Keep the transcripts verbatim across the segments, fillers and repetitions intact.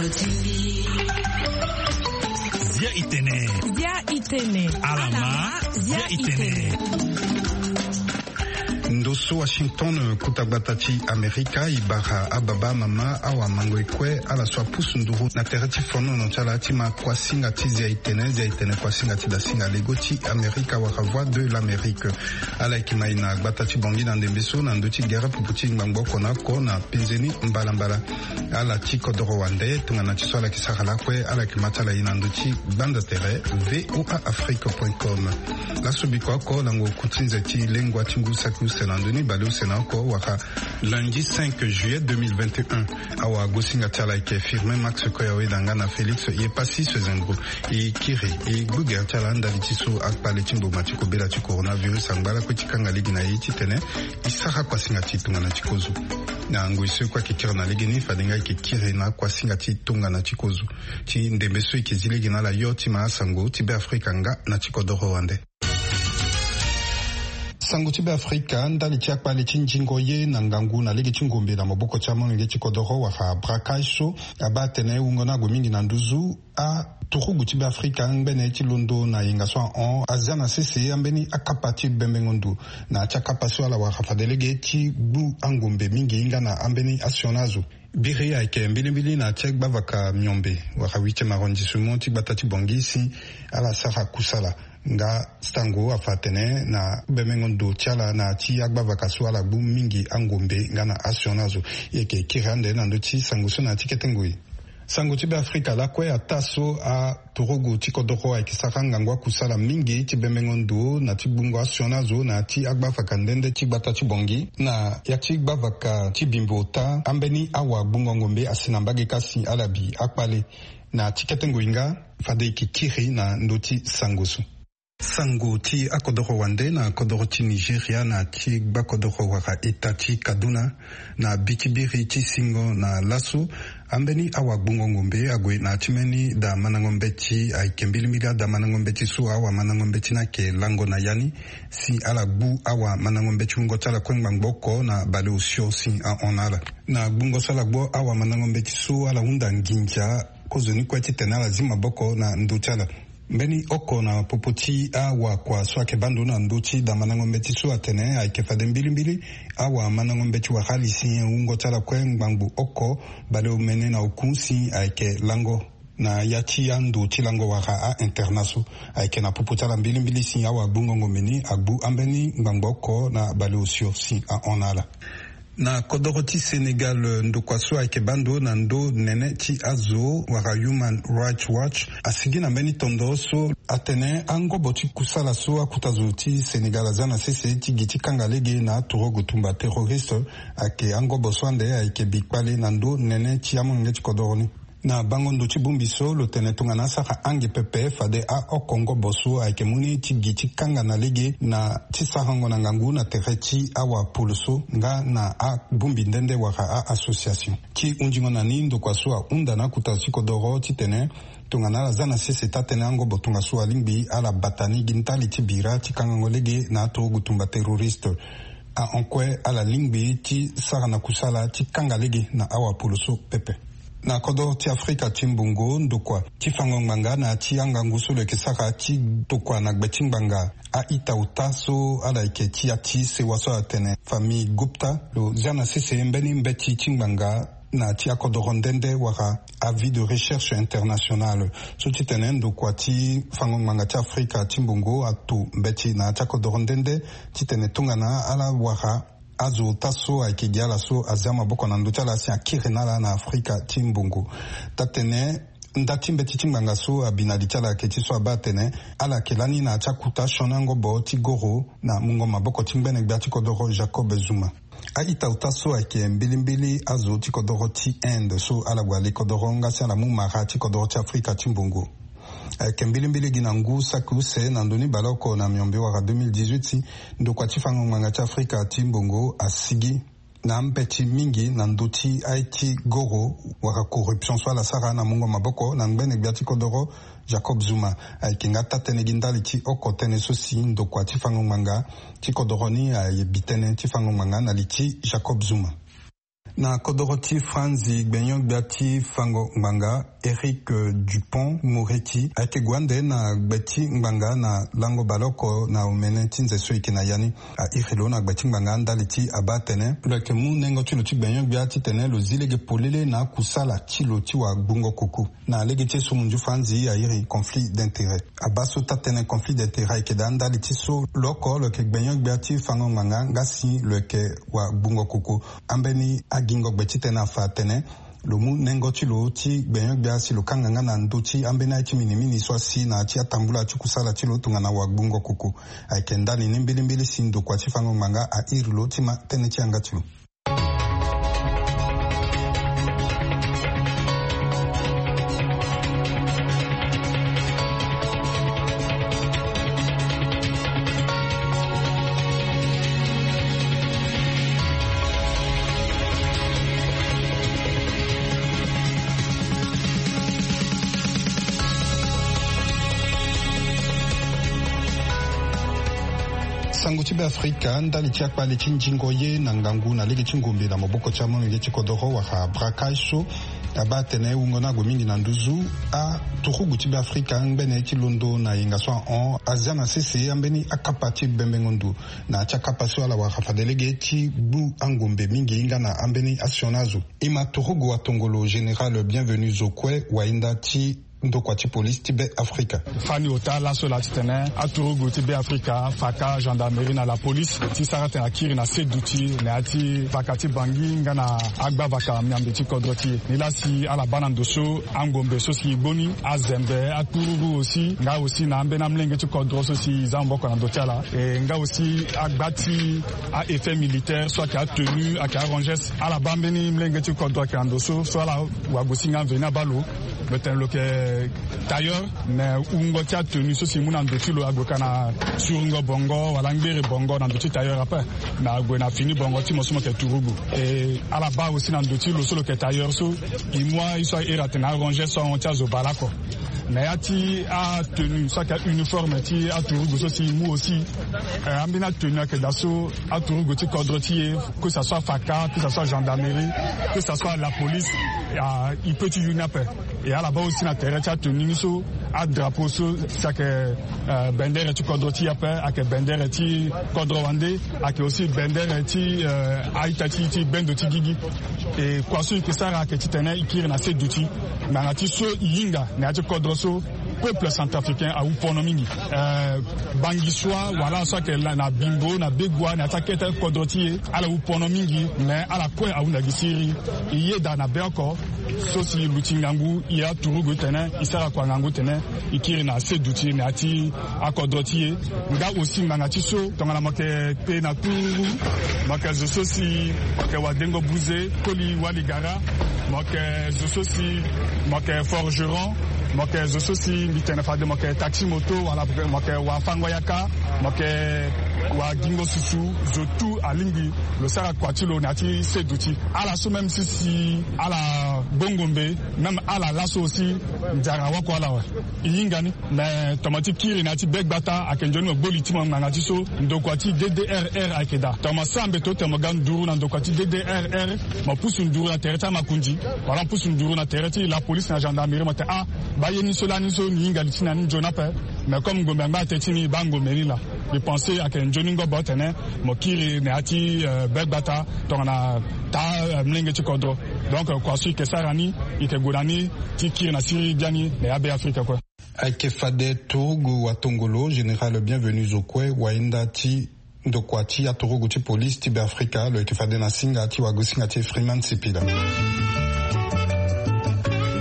Zia itene. Zia itene. Alama. Zia itene. Ndo so Washington, kuta gbata ti Amerika, e bara ababa, amama, awamango-ekue, ala so apusu nduru na tere ti fonono ti ala ti ma kuasinga ti zia itene. Zia itene kuasinga ti dasinga lego ti Amerika wala Voix de l'Amérique. Ala yeke ma e na gbata ti Bangui na ndembe so na ndö ti gere pupu ti ngbangbo oko na oko na penze ni mbalambala. Ala ti kodoro wande, tongana ti so ala yeke sara lakue, ala yeke ma ti ala e na ndö ti gbanda tere V O A Afrique point com. Laso bikua oko, lango ku ti nze ti lengua ti ngu saki use na ndö ni bale use na oko wala lundi cinq juillet deux mille vingt et un. Awagosinga ti ala ayeke Firmin Max Koyaweda nga na Félix Yepassi Sezengro. E kiri e gbu gere ti ala ndali ti so akpale ti mboma ti kobela ti coronavirus angba lakue ti kanga lege na e titene e sara kuasinga ti tongana ti kozo. Na ngoi so e kue ayeke kiri na legeni, fade nga e yeke kiri na kuasinga ti tongana ti kozo ti ndembe so e yeke zi lege na ala yo ti ma asango ti Beafrika nga na ti kodoro wande. Sango ti Beafrika, ndali ti akpale ti nzingo ye na ngangu na lege ti ngombe na maboko ti amolenge ti kodoro wala braquage so abaa atene wungo ni ague mingi na nduzu. Aturugu ti Beafrika ngbene ti londo na yenga so ahon azia na sese ambeni akapa ti bembengo ndo na ya ti akapa so ala wara fade lege ti gbu angombe mingi nga na ambeni asioni azo. Biri ayeke mbilimbili na ya ti agbavaka miombe wala huitième arrondissement ti gbata ti Bangui si ala sara kusala. Nga sango afa atene na bembengo ndo ti ala na ya ti agbavaka so ala gbu mingi angombe nga na asioni azo. E yeke kiri ande na ndö ti sango so na ya ti kete ngoi. Sango ti Beafrika lakue, ataa so aturugu ti kodoro ayeke sara ngangu akusala mingi ti bembengo ndo na ti gbungo asioni azo na ya ti agbavaka nde nde ti gbata ti Bangui. Na ya ti gbavaka ti Bimbo ota, ambeni awagbungo ngombe asi na mbage ka si ala bi akpale. Na ti kete ngoi nga, fade e yeke kiri na ndö ti sango so. Sango ti akodoro wande na kodoro ti Nigeria na ti gbakodoro wala eta ti Kaduna, na bi ti biri ti singo na laso, ambeni awagbungo ngombe ague na ya ti mbeni da mandango mbeti. Ayeke mbilimbili ada mandango mbeti so awamandango mbeti ni ayeke lango na ya ni, si ala gbu awamandango mbeti wungo ti ala kue ngbangbo oko na baleosio si ahon na ala. Na gbungo so ala gbu awamandango mbeti so, ala hunda nginza kozoni kue titene ala zi maboko na ndö ti ala. Mbeni oko na popo ti awakua so ayeke baa ndo na ndö ti da mandango mbeti so atene ayeke fade mbilimbili awamandango mbeti wala ali si wungo ti ala kue ngbangbo oko baleomene na oku si ayeke lango na ya ti ando ti lango wala a-internat so. Ayeke na popo ti ala mbilimbili si awagbungo ngombe ni agbu ambeni ngbangbo oko na baleosio si ahon na ala. Na kodoro ti Sénégal, ndokua so ayeke baa ndo na ndo nene ti azo wala Human Rights Watch asigi na mbeni tondo so atene angobo ti kusala so akuta zo ti Sénégal azia na sese ti gi ti kanga lege na aturugu tumba terroriste ayeke angobo so ande ayeke bi kpale na ndo nene ti amolenge ti kodoro ni. Na bango ndo ti bongbi so, lo tene tongana asara ange pepe fade aoko ngobo so ayeke mu ni ti gi ti kanga na lege na ti sarango na ngangu na tere ti awapolo so nga na abongbi nde nde wala a-association. Ti hundingo na ni, ndokua so ahunda na akuta ti kodoro titene tongana ala za na sese taa-tënë angobo tongaso alingbi ala bata ni gi ndali ti bira ti kangango lege na aturugu tumba terroriste. Ahon kue ala lingbi ti sara na kusala ti kanga lege na awapolo so pepe. Na kodro ti Afrika ti mbongo, ndokua ti fango ngbanga na ya ti angangu so lo yeke sara ti tokua na gbe ti ngbanga a-ita ota so ala yeke ti ya ti sewa so atene famille Gupta, lo zia na sese mbeni mbeti ti ngbanga na ya ti akodoro nde nde wala avis de recherche internationale. So titene ndokua ti fango ngbanga ti Afrika ti mbongo ato mbeti na ya ti akodoro nde nde titene tongana ala wara azo ota so ayeke gi ala so azia maboko na ndö ti ala si akiri na ala na Afrika ti mbongo. Taa-tënë nda ti mbeti ti ngbanga so abi na li ti ala ayeke ti so abaa atene ala yeke lani na ya ti akuta sioni angobo ti goro na mungo maboko ti ngbene gbia ti kodoro Jacob Zuma. A-ita ota so ayeke mbilimbili azo ti kodoro ti Inde so ala gue ale kodoro nga si ala mu mara ti kodoro ti Afrika ti mbongo. Ayeke mbilimbili gi na ngu saki use na ndö ni baleoko na miombe wala deux mille dix-huit, ndokua ti fango ngbanga ti Afrika ti mbongo asigi na mbeti mingi na ndö ti aye ti goro wala corruption so ala sara na mungo maboko na ngbene gbia ti kodoro Jacob Zuma. Ayeke nga taa-tënë gi ndali ti oko tënë so si ndokua ti fango ngbanga ti kodoro ni aye bi tënë ti fango ngbanga na li ti Jacob Zuma. Na kodoro ti Franzi, gbenyo-gbia ti fango ngbanga, Éric Dupond-Moretti, ayeke gue ande na gbe ti ngbanga na lango baleoko na omene ti nze so e yeke na ya ni. A iri lo na gbe ti ngbanga ndali ti abaa atene lo yeke mu nengo ti lo ti gbenyo-gbia titene lo zi lege polele na akusala ti lo ti wagbungo koko. Na lege ti e so munzu Franzi a iri conflit d'intérêt. Abaa so taa-tënë conflit d'intérêt ayeke daa ndali ti so lo oko lo yeke gbenyo-gbia ti fango ngbanga nga si lo yeke wagbungo koko. Ambeni agingo gbe titene afa atene lo mu nengo ti lo ti gbenyo-gbia si lo kanga nga na ndö ti ambeni aye ti minimini so asi na ya ti atambula ti kusala ti lo tongana wagbungo koko. Ayeke ndali ni mbilimbili si ndokua ti fango ngbanga a iri lo ti ma tënë ti yanga ti lo. Sango ti Beafrika, ndali ti akpale ti nzingo ye na ngangu na lege ti ngombe na maboko ti amolenge ti kodoro wala braquage so abaa atene wungo ni ague mingi na nduzu. Aturugu ti Beafrika ngbene ti londo na yenga so ahon azia na sese ambeni akapa ti bembengo ndo na ya ti akapa so ala wara fade lege ti gbu angombe mingi nga na ambeni asioni azo. E ma turugu watongolo général Bienvenu Zokwe, wainda ti ndokua ti polisi ti Beafrika. Fani ota laso laa titene aturugu ti Beafrika faka gendarmerie na lapolisi ti sara tene akiri na se duti na ya ti vaka ti Bangui nga na agbavaka miambe ti kodro ti e. Nilaa si ala baa na ndo so angombe so si e gbu ni, azembe, atururu aussi, nga aussi na ambeni amolenge ti kodro so si e za maboko na ndo ti ala, e nga aussi agba ti a-effet militaire so ayeke atenue, ayeke arangers. Ala baa mbeni molenge ti kodro ayeke na ndo so, so ala wagosinga mveni abaa lo. Lo tene lo yeke tailleur, mais wungo ti atenue so si e mu na ndo ti lo ague ka na surungo bongo wala ngbere bongo na ndo ti tailleur ape. Mais ague na fini bongo ti mo so mo yeke turugu. E ala baa aussi na ndo ti lo so lo yeke tailleur so, e mu aye so a iri atene arangers so ahon ti azo bale oko. Na ya ti atenue so ayeke uniforme ti aturugu so si e mu aussi, eh, ambeni atenue ayeke daa so aturugu ti kodro ti e, que ça soit faka, que ça soit gendarmerie, que ça soit la police, ah, e peut ti yu ni ape. E ala baa aussi na tere ti atenue ni so, adrapeau so si ayeke, eh, bendere ti kodro ti e ape, ayeke bendere ti kodro wande, ayeke aussi bendere ti, eh, a-ita ti, ti bendo ti gigi. E kua so e yeke sara ayeke titene e kiri na se duti ngbanga ti so e hinga na ya ti kodro so, peuple centrafricain awu pono mingi. Eh, Bangisoi wala so ayeke na Bimbo, na Begoua, na ya ti akete kodro ti e, ala wu pono mingi, mais ala kue ahunda gi siriri. E yeda na be oko so si e luti ngangu, e aturugu titene e sara kua ngangu titene e kiri na se duti na ya ti akodro ti e. Nga aussi ngbanga ti so tongana mo yeke pe na tururu, mo yeke zo so si mo yeke wadengo buze, koli waligara, mo yeke zo so si mo yeke forgeron, mo yeke zo so si mbi tene fade mo yeke taxi moto, wala mo yeke wafango yaka, mo yeke wagingo susu, zo tout alingbi lo sara kua ti lo na ya ti se duti. Ala so même si, si ala gbo ngombe, même ala laso aussi nzara wako ala awe. E hinga ni. Mais tongana ti kiri na ya ti be gbata ayeke nzoni mo gbo li ti mo ngbanga ti so ndokua ti D D R R ayeke daa. Tongana mo sara mbeto tene mo ga nduru na ndokua ti D D R R, mo pusu nduru na tere ti amakonzi, wala mo pusu nduru na tere ti lapolisi na gendarmerie, mo tene ah, baa ye ni so lani so ni hinga li ti ni na ni nzoni ape. Mais comme ngombe angba ate ti ni, baa ngombe ni laa. Mbi pense ayeke nzoni ngobo tene mo kiri na ya ti, eh, be gbata tongana taa, eh, molenge ti kodro. Donc, eh, kua so e yeke sara ni, e yeke gue na ni ti kiri na siriri biani na ya Beafrika kue. Ayeke fade turugu watongolo général Bienvenu Zokwe, wainda ti ndokua ti aturugu ti polisi ti Beafrika, lo yeke fade na singa ti wagosinga ti Freeman Sipila.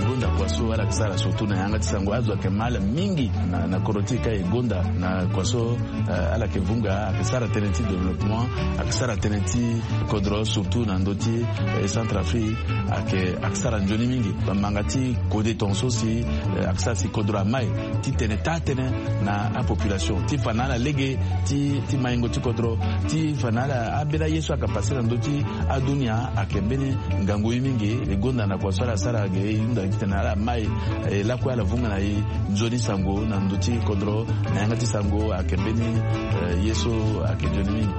Gonda kua so ala yeke sara surtout na yanga ti sango, azo ayeke mal mingi na, na kodro ti e ka e gonda na kua so, eh, ala yeke vunga, ayeke sara tënë ti développement, ayeke sara tënë ti kodro surtout na ndö ti, eh, Centrafrique, ayeke, ayeke sara nzoni mingi. Bamanga ti kode tongaso si, eh, ayeke sara si kodro amai ti tene taa tënë na apopulation ti fa na ala lege ti, ti maingo ti kodro, ti fa na ala ambeni aye so ayeke pase na ndö ti adunia, ayeke mbeni ngangu ye mingi. E gonda na kua so ala sara ge, e hunda gi titene ala mai, e lakue ala vunga na e nzoni sango na ndö ti kodro na yanga ti sango, ayeke mbeni, eh, ye so ayeke nzoni mingi.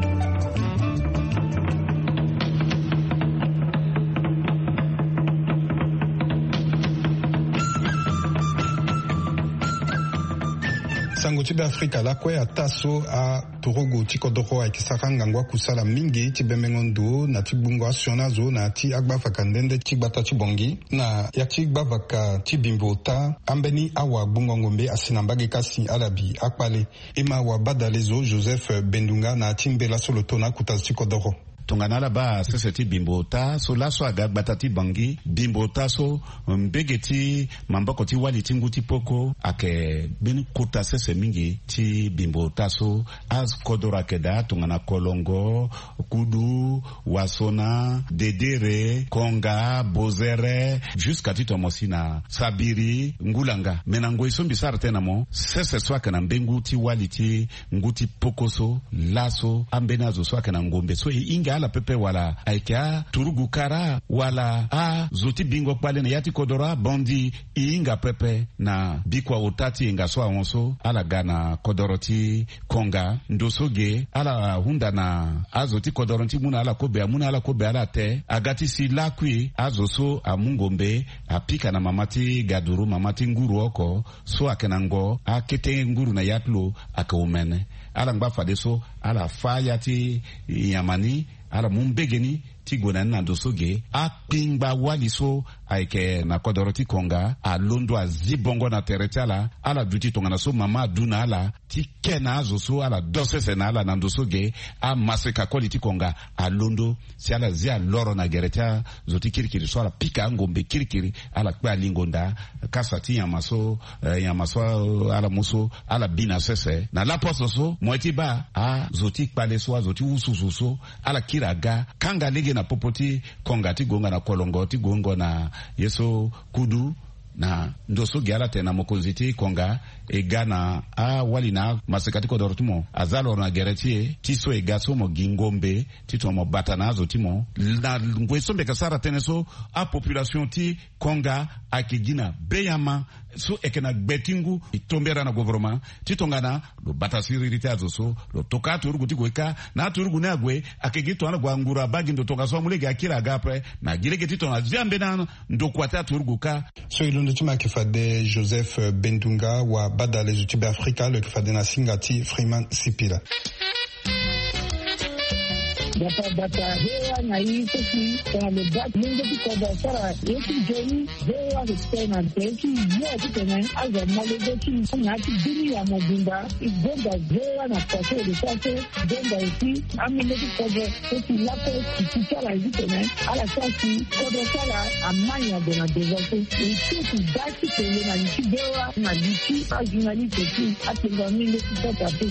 Sango ti Beafrika lakue ataa so aturugu ti kodoro ayeke sara ngangu akusala mingi ti bembengo ndo na ti gbungo asioni azo na ya ti agbavaka nde nde ti gbata ti Bangui na ya ti gbavaka ti Bimbo ota. Ambeni awagbungo ngombe asi na mbage kasi ala bi akpale. E ma wabadale zo Joseph Bendunga na ya ti mbela so lo to na akuta zo ti kodoro. Tongana ala baa sese ti Bimbo ota so laso aga gbata ti Bangui, Bimbo ota so mbege ti maboko ti wali ti ngu ti poko ayeke mbeni kota sese mingi ti Bimbo ota so. Akodoro ayeke daa tongana Kolongo, Kudu, Wasona, Dedere, Konga, Bozere, jusqu'à ti tomo si na Sabiri, Ngulanga. Me na ngoi so mbi sara tënë na mo, sese so ayeke na mbengu ti wali ti ngu ti poko so, laso ambeni azo so ayeke na ngombe so e hinga ala pepe wala ayeke aturugu kara wala azo ti bingo kpale na ya ti kodoro abandi, e hinga pepe na bikua ota ti yenga so ahon so ala ga na kodoro ti Konga. Ndo so ge ala hunda na azo ti kodoro ti mu na ala kobe, amu na ala kobe ala te. Aga ti si lakui azo so amu ngombe apika na mama ti gaduru, mama ti nguru oko so ayeke na ngo akete nguru na ya ti lo ayeke omene. Ala ngba fadeso ala fâ ya ti nyama ni, ala mu mbege ni ti gue na ni na ndo so ge. Akpingba wali so ayeke na kodoro ti Konga alondo azi bongo na tere ti ala. Ala duti tongana so mama adu na ala ti ke na azo so ala do sese na ala na ndo so ge. Amaseka koli ti Konga alondo si ala zi aloro na gere ti azo ti kirikiri so ala pika angombe kirikiri, ala kpe alingo nda kasa ti nyama so, eh, nyama so, eh, ala mu so ala bi na sese. Na laposo so mo ye ti baa azo ti kpale so, azo ti wususu so, ala kiri aga kanga lege na popo ti Konga ti gonga na Kolongo, ti gonga na ye so Kudu. Na ndo so ge ala tene na mokonzi ti Konga e ga na awali na amaseka ti kodoro ti mo aza loro na gere ti e, ti so e ga so mo gi ngombe titene mo bata na azo ti mo. Na ngoi so mbi yeke sara tënë so, apopulation ti Konga ayeke gi na beyama so e yeke na gbe ti ngu. E tombera na gouvernement ti tongana lo bata siriri ti azo so, lo toka aturugu ti gue kâ. Na aturugu ni ague ayeke gi tongana gue anguru abaa gi ndo tongaso amu lege akiri aga ape. Me agi lege titene azi ambeni andokua ti aturugu kâ. So e londo ti mo ayeke fade Joseph Bendunga, wabadale zo ti Beafrika, lo yeke fade na singa ti Freeman Sipila. Bata bata, he wa na i so si tongana lo baa lenge ti kodro asara ye ti nzoni. Ve wa respect na nze ti yo titene azo amolenge ti na ti bini ya mobimba. E gonda ve wa na kua so e lo sara so. Gonda aussi amolenge ti kodro so si lape si ti ti ala titene ala sara si kodro ti ala amai na gue na devant so. E so si baa ti tene na li ti ve wa na li ti ajournaliste ti atengo amolenge ti sota pe.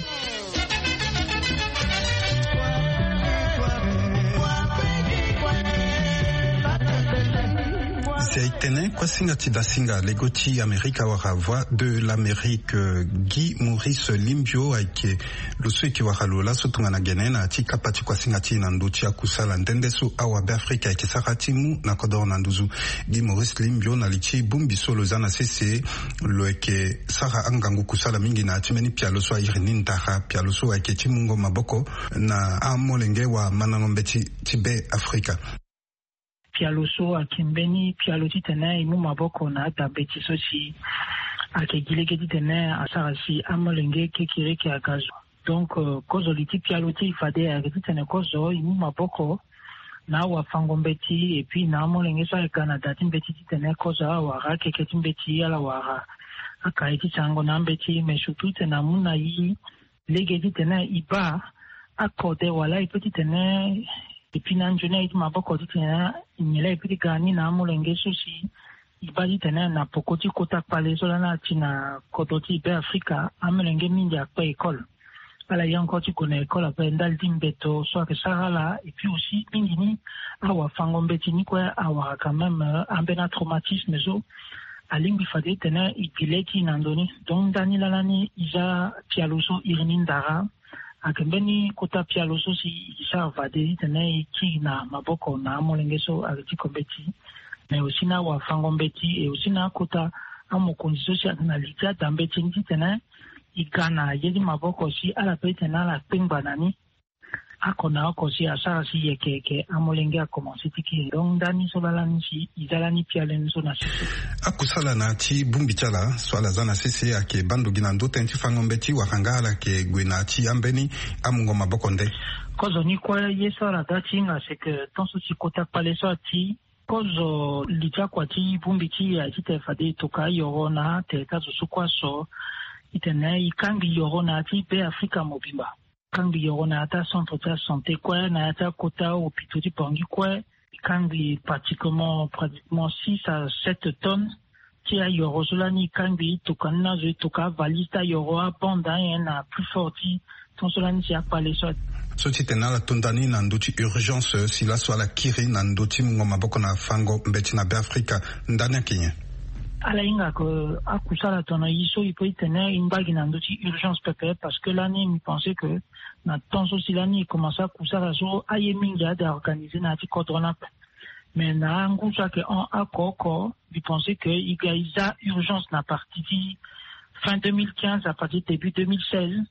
Si aye tene kuasinga ti dasinga lego ti Amerika wala Voix de l'Amérique, euh, Guy Maurice Limbio ayeke lo so e yeke wara lo laso tongana gene na ya ti kapa ti kuasinga ti e na ndö ti akusala nde nde so awabeafrika ayeke sara ti mu na kodoro na nduzu. Guy Maurice Limbio na li ti bongbi so lo za na sese, lo yeke sara angangu kusala mingi na ya ti mbeni pialo so airi ni ndara, pialo so ayeke ti mungo maboko na amolenge wala mandango mbeti ti Beafrika. Pialo so ayeke mbeni pialo titene e mu maboko na ada mbeti so si ayeke gi lege titene asara si amolenge kekereke aga zo. Donc, euh, kozo li ti pialo ti e fade ayeke titene kozo e mu maboko na awafango mbeti, et puis na amolenge so ayeke ga na da ti mbeti titene kozo awara akeke ti mbeti, ala wara akaye ti sarango na ambeti, mais surtout titene amu na e lege titene e baa akode wala e peut titene e pi na anzoni aye ti maboko titene e nyen laa e peut ti ga ni na amolenge so si e baa titene na poko ti kota kpale so lani ati na kodro ti Beafrika, amolenge mingi akpe école. Ala ye encore ti gue na école ape ndali ti mbeto so ayeke sara ala, et puis aussi mingi ni awafango mbeti ni kue awara quand même, euh, ambeni atraumatisme so alingbi fade titene e gi le ti e na ndo ni. Donc ndani laa lani e za pialo so iri ni ndara. Ayeke mbeni kota pialo so si e sara fade titene e kiri na maboko na amolenge so ayeke ti ko mbeti, mais aussi na awafango mbeti, et aussi na akota amokonzi so si ayeke na li ti ada mbeti ni titene e ga na ye ti maboko si ala peut titene ala kpengba na ni. oko na oko si asara si yeke yeke amolenge akomanse ti kiri. Donc ndani so laa lani si e za lani pialo ni so na sese. Akusala na ya ti bongbi ti ala so ala za na sese ayeke baa ndo gi na ndö tënë ti fango mbeti wala nga ala yeke gue na ya ti ambeni amungo maboko nde? Kozo ni kue ye so ala ga ti hinga c'est que tant so si kota kpale so ati kozo li ti akua ti bongbi ti e aye titene fade e toka ayoro na atere ti azo so kue aso titene e kangbi yoro na ya ti be afrika mobimba. Kangbi yoro na ya ti acentre ti asanté kue na ya ti akota hôpitaux ti bangi kue. E kangbi pratiquement pratiquement six à sept tonnes ti ayoro so lani e kangbi e toka ni na azo e toka avalise ti ayoro abande anyen na plus fort ti ton so lani si akpale so. So titene ala to ndani na ndö ti urgence si laso ala kiri na ndö ti mungo maboko na fango mbeti na be afrika. Ndani ayeke nyen? Ala hinga ke akusala tongana e so e peut titene e ngba gi na ndö ti urgence pepe parce que lani mbi pense ke na temps so si lani e commence akusala so aye mingi ade a organiser na ya ti kodro ni ape. Mais na angu so ayeke hon oko oko mbi pense ke e ga e za urgence na partie ti fin deux mille quinze à partir début deux mille seize.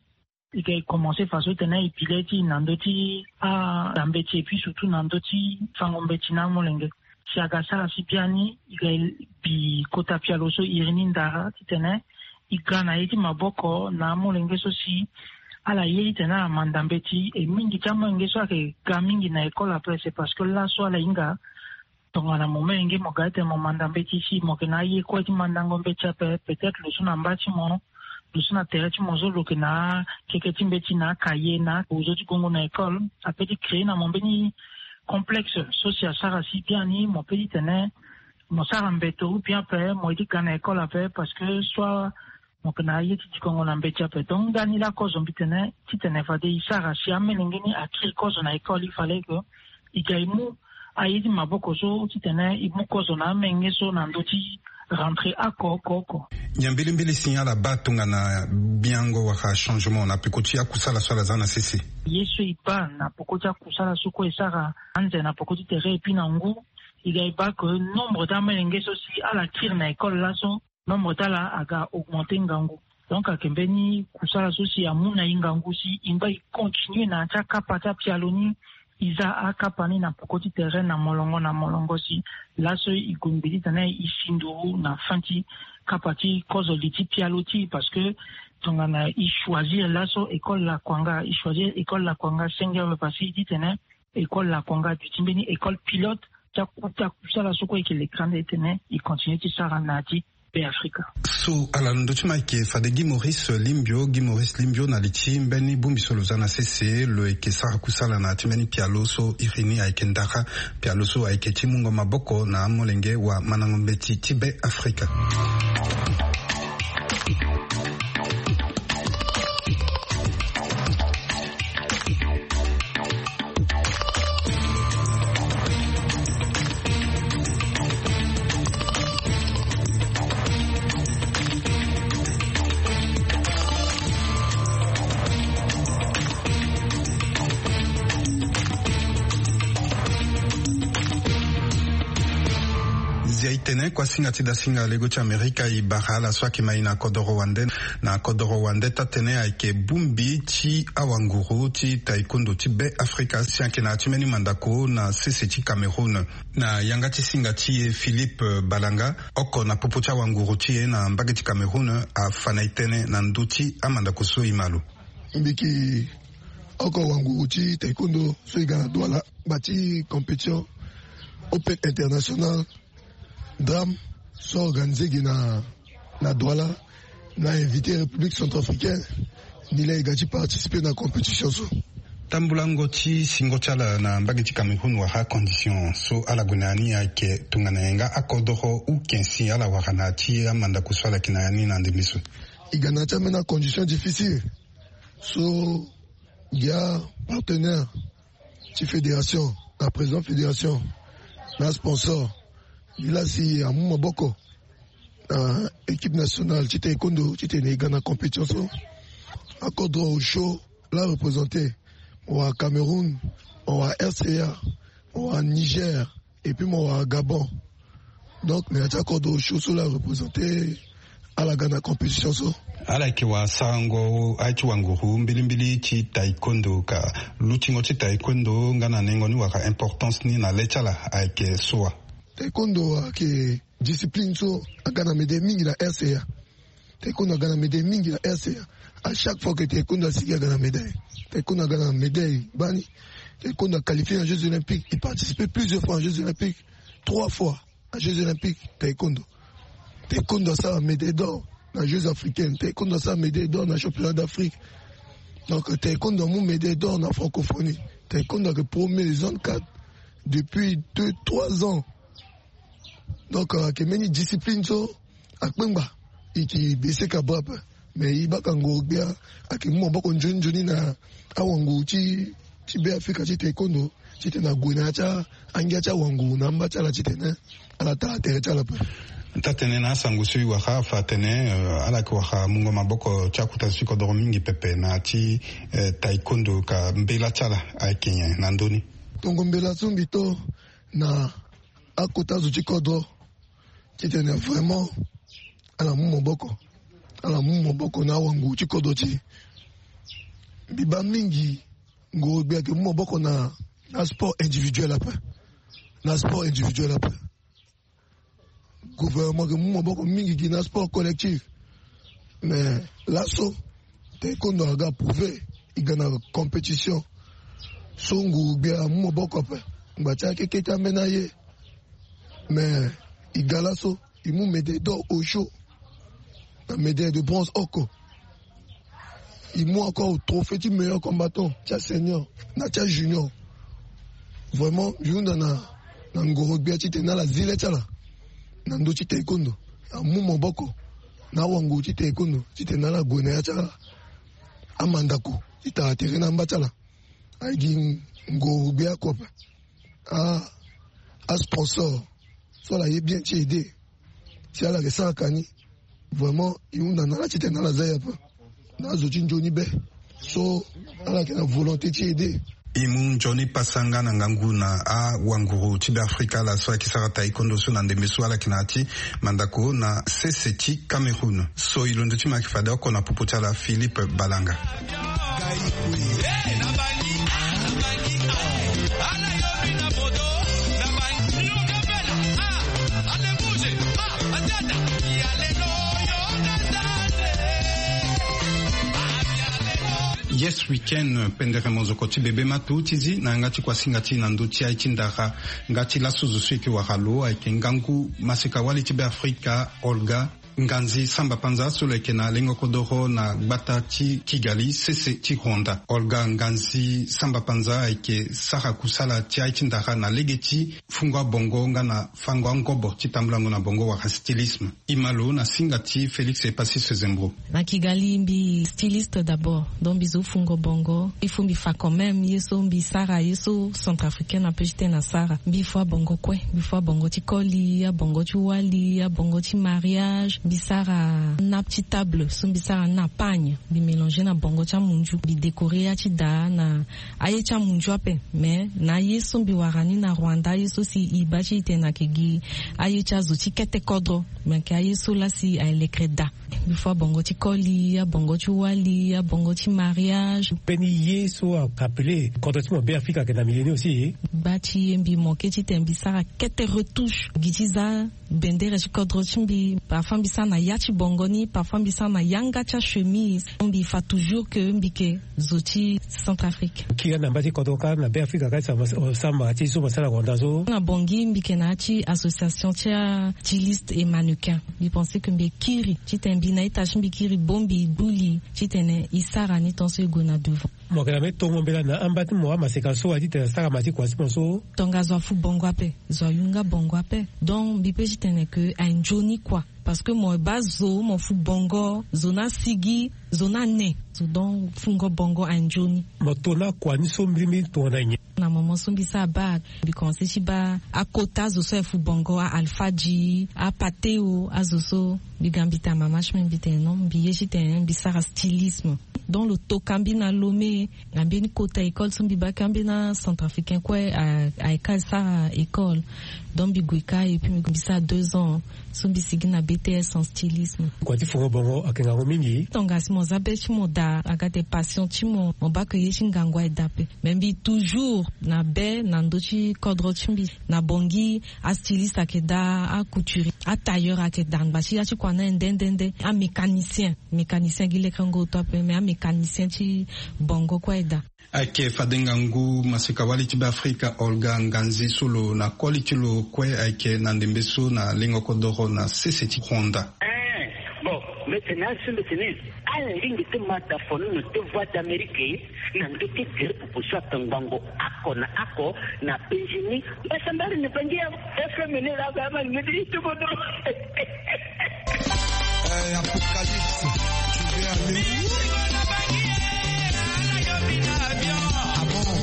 E ga e commence faso titene e pile ti e na ndö ti anda mbeti et puis surtout na ndö ti fango mbeti na amolenge. Si aga sara si biani e ga e bi kota pialo so iri ni ndara titene e ga na ye ti maboko na amolenge so si ala ye titene ala manda mbeti e mingi ti amolenge so ayeke ga mingi na école ape c'est parce que laso ala hinga tongana mo menge mo ga titene mo manda mbeti si mo yeke na aye kue ti mandango mbeti ape peut-être lo so na mba ti mo lo so na tere ti mo so lo yeke na akeke ti mbeti na akaye na ozo ti gongo na école ape ti créer na mo mbeni complexe so si asara si biani mo pe titene mo sara mbeto ou bien ape mo ye ti ga na école ape parce que soit mo yeke na aye ti dikongo na mbeti ape. Donc ndani laa kozo mbi tene titene fade e sara si amolenge ni akiri kozo na école il fallait que e ga e mu aye ti maboko so titene e mu kozo na amolenge so na ndö ti rentrée oko oko oko. Nyen mbilimbili si ala baa tongana biango wala changement na peko ti akusala so ala za na sese? Ye so e baa na peko ti akusala so kue e sara anze na peko ti tere et puis na ngu e ga e baa ke nombre ti amolenge so si ala kiri na école laso nombre ti ala aga augmenter ngangu. Donc ayeke mbeni kusala so si amu na e ngangu si e ngba e continuer na ya ti akapa ti apialo ni e za akapa ni na peko ti tere na molongo na molongo si laso e gue ngbi titene e si nduru na fin ti kapa ti kozo li ti pialo ti e parce que tongana e choisir laso école lakuanga e choisir école lakuanga senge awe parce que e titene école lakuanga duti mbeni école pilote ti akuta kusala so kue e yeke lekere ande titene e continue ti sara na ya ti be afrika. So ala na ndö ti ma ayeke fade gi maurice limbio gi maurice limbio na li ti mbeni bongbi so lo za na sese lo yeke sara kusala na ya ti mbeni pialo so iri ni ayeke ndara pialo so ayeke ti mungo maboko na amolenge wa mandango mbeti ti be afrika. Zia e tene kuasinga ti dasinga lego ti amerika e bara ala so ayeke ma e na kodoro wande. Na kodoro wande taa-tënë ayeke bongbi ti awanguru ti taekwondo ti be afrika si ayeke na ya ti mbeni mandako na sese ti cameroun. Na yanga ti singa ti e philippe balanga oko na popo ti awanguru ti e na mbage ti cameroun afa na e tënë na ndö ti amandako so e ma lo. Mbi yeke oko wanguru ti taekwondo so e ga na douala ngba ti compétition open international drame so organisé gi na na douala. Na invité république centrafricaine ni laa e ga ti participer na compétition so. Tambulango ti singo ti ala na mbage ti cameroun wala condition so ala gue na ya ni ayeke tongana nyen nga akodoro ou ken si ala wara na ya ti amandako so ala yeke na ya ni na ndembe so? E ga na ya ti ambeni acondition difficile so ngia partenaire ti fédération na président fédération na sponsor ni laa si amu maboko na équipe nationale ti taekwondo titene e ga na compétition so. Akodro osio laa représenté mo wara cameroun, mo wara rca, mo wara niger, et puis mo wara gabon. Donc na ya ti akodro osio so laa représenté ala ga na compétition so. Ala yeke wara sarango aye ti wanguru mbilimbili ti taekwondo ka lutingo ti taekwondo nga na nengo ni wala importance ni na le ti ala ayeke so wa? Taekwondo ayeke discipline so aga na médaille mingi na R C A. Taekwondo aga na médaille mingi na R C A. À chaque fois que taekwondo asigi aga na médaille. Taekwondo aga na médaille bani. Taekwondo a qualifié na Jeux Olympiques. Il participe plusieurs fois en Jeux Olympiques. Trois fois en Jeux Olympiques. Taekwondo. Taekwondo asara médaille d'or na Jeux Africaines. Taekwondo asara médaille d'or na Championnat d'Afrique. Donc taekwondo amu médaille d'or na francophonie. Taekwondo ayeke premier zone quatre depuis deux trois ans. Donc ayeke mbeni discipline so akpengba. E yeke baisser ka bras ape. Mais e baka ngoro-gbia ayeke mu maboko nzoni nzoni na awanguru ti ti Beafrika ti taekwondo titene ague na ya ti angia ti awanguru na amba ti ala titene ala tara tere ti ala ape. Taa-tënë, na asango so e wara afa atene ala yeke wara mungo maboko ti akota zo ti kodoro mingi pepe na ya ti taekwondo, ka mbela ti ala ayeke nyen na ndö ni? Tongo mbela so mbi to na akota zo ti kodro titene vraiment ala mu maboko, ala mu maboko na awanguru ti kodro ti e. Mbi baa mingi ngoro-gbia ayeke mu maboko na na sport individuel ape. Na sport individuel ape. Gouvernement ayeke mu maboko mingi gi na sport collectif. Mais laso taekwondo aga prouver e ga na compétition so nguru-gbia amu maboko ape. Ngba ti akeke ti ambeni aye. Mais e ga laso e mu médaille d'or osio na médaille de bronze oko. E mu encore trophée ti meilleur combattant ti asenior na ti ajunior. Vraiment mbi hunda na ngoro-gbia titene ala zi le ti ala na ndö ti taekwondo. Amu maboko na awanguru ti taekwondo titene ala gue na ya ti amandako ti tara tere na amba ti ala. Aye gi ngoro-gbia oko ape. Asponsor so ala ye bien ti aide. Si ala yeke sara ka ni, vraiment e hunda na ala titene ala za e ape. Na azo ti nzoni be so ala yeke na volonté ti aide. E mu nzoni pasa nga na ngangu na awanguru ti Beafrika ala so ayeke sara taekwondo so na ndembe so ala yeke na ya ti mandako na sese ti Cameroun. So e londo ti mo ayeke fade oko na popo ti ala Philippe Balanga. Yes weekend, pendere mozoko ti bebe matu ti zi na yanga ti kuasinga ti na ndö ti aye ti ndara. Nga ti laso zo so e yeke wara lo ayeke ngangu maseka-wali ti Beafrika Olga Nganzi Samba Panza so lo yeke na lengo kodoro na gbata ti Kigali sese ti Rwanda. Olga Nganzi Samba Panza ayeke sara kusala ti aye ti ndara na lege ti fungo abongo nga na fango angobo ti tambulango na bongo wala stylisme. E ma lo na singa ti Félix Epasis Zembro. Na Kigali mbi styliste d'abord, donc mbi zo fungo bongo. Il faut mbi fa quand même ye so mbi sara, ye so centrafricaine ape ti tene asara. Mbi fua bongo kue, mbi fua bongo ti koli, abongo ti wali, abongo ti mariage. Mbi sara nappe ti table so mbi sara na pagne, mbi mélanger na bongo ti amunzu, mbi décorer ya ti daa na aye ti amunzu ape. Mais na aye so mbi wara ni na Rwanda, aye so si e baa ti e tene ayeke gi aye ti azo ti kete kodro, me ayeke aye so laa si aye lekere daa. Mbi fua bongo ti koli, abongo ti wali, abongo ti mariage. Mbeni ye so ayeke appelé kodro ti mo Beafrika ayeke na milieu ni aussi. Gba ti e mbi manqué titene mbi sara kete retouche gi ti za bendere ti kodro ti mbi. Parfois mbi sara na ya ti bongo ni, parfois mbi sara na yanga ti achemise. Mbi fa toujours que mbi yeke zo ti Centrafrique. Kiri na mba ti kodro kâ na Beafrika kâ ti samba ti so mo sara na Rwanda so. Na Bangui mbi yeke na ya ti association ti a styliste et mannequin. Mbi pensé que mbi kiri titene mbi na ita ti mbi kiri bongbi buli titene e sara ni tant so e gue na devant. Mo yeke na mbeni tongo mbela na amba ti mo amaseka so wa titene asara ma ti kua ti mo so. Tongaso afu bongo ape. Zo ayunga bongo ape. Donc mbi pe ti tene ke aye nzoni kua. Parce que mo baa zo mo fu bongo, zo ni asigi, zo ni ane. Zo donc fungo bongo aye nzoni. Mo to na kua ni so mbirimbiri tongana nyen? Na moment so mbi sara bac, mbi commencé ti baa akota zo so aye fu bongo, a Alpha Dji, a Pateo, azo so. Mbi ga mbi ta mama ti mbi, mbi tene non, mbi ye ti tene mbi sara stylisme. Donc lo toka mbi na Lomé, na mbeni kota école so mbi bake ambeni acentrafricain kue. Ayeke asara école. Donc mbi gue ka et puis mbi sara deux ans so mbi sigi na B T S en stylisme. Kua ti foro bongo ayeke ngangu mingi. Tongana si mo za be ti mo daa aga ate passion ti mo, mo bake ye ti ngangu aye daa ape. Mais mbi toujours na be na ndö ti kodro ti mbi. Na Bangui, astyliste ayeke daa, acouturier, atailleur ayeke daa, angba ti ya ti kua na nde nde nde. Amécanicien, mécanicien gi lekengo oto ape, mais amécanicien ti bongo kue aye daa. Ayeke fade ngangu maseka-wali ti Beafrika Olga Nganzi so lo na koli ti lo kue ayeke na ndembe so na lengo kodoro na sese ti Rwanda. Eh, bon, mbi tene azo mbi tene, ala lingbi ti ma da fono na te Voix d'Amérique na ndö ti gere popo so ayeke ngbongo oko na oko na Benjini. Mbasambari na Bangi ya F M ni la ga ma ni mbi ti bodo. Euh, Apocalypse, tu veux aller où? Ah bon?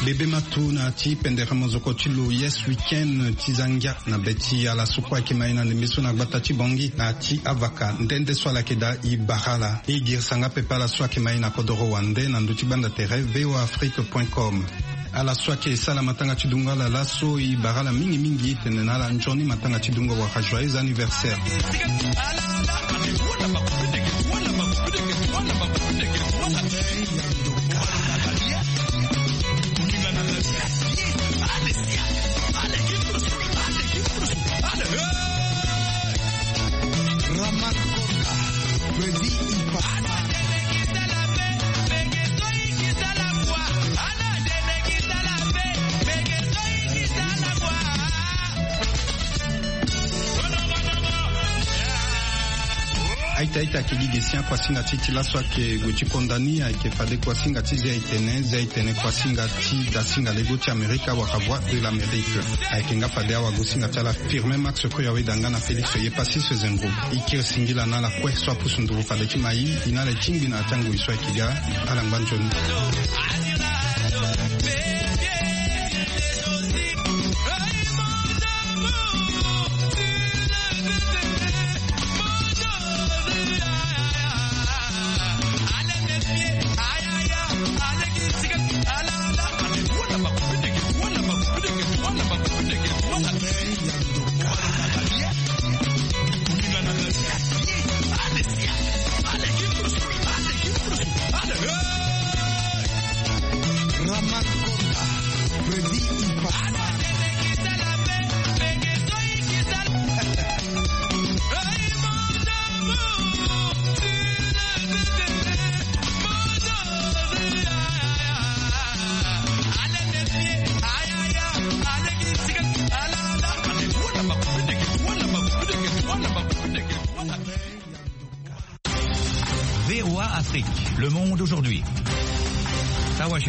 Bebe matu na ti pendere mozoko ti lo Yes Weekend ti za ngia na be ti ala so kue ayeke ma e na ndembe so na gbata ti Bangui na ti avaka nde nde so ala yeke daa e bara ala. E girisa nga pepe ala so ayeke ma e na kodoro wande na ndö ti gbanda tere V O A Afrique point com. Ala so ayeke sala matanga ti dungo ala laso e bara ala mingi mingi, e tene na ala nzoni matanga ti dungo wala joyeux anniversaire. Aita aita ayeke gi ge si akuasinga ti e ti laso ayeke gue ti konda ni, ayeke fade kuasinga ti zia e tene, zia e tene kuasinga ti dasinga lego ti Amerika wala Voix de l'Amérique. Ayeke nga fade awagosinga ti ala Firmin Max Koyawe da nga na Félix Yepassis Zengo. E kiri singila na ala kue so apusu nduru fade ti ma e, e na ala e tingbi na ya ti angoi so ayeke ga. Ala ngba nzoni. Le monde aujourd'hui. À Washington.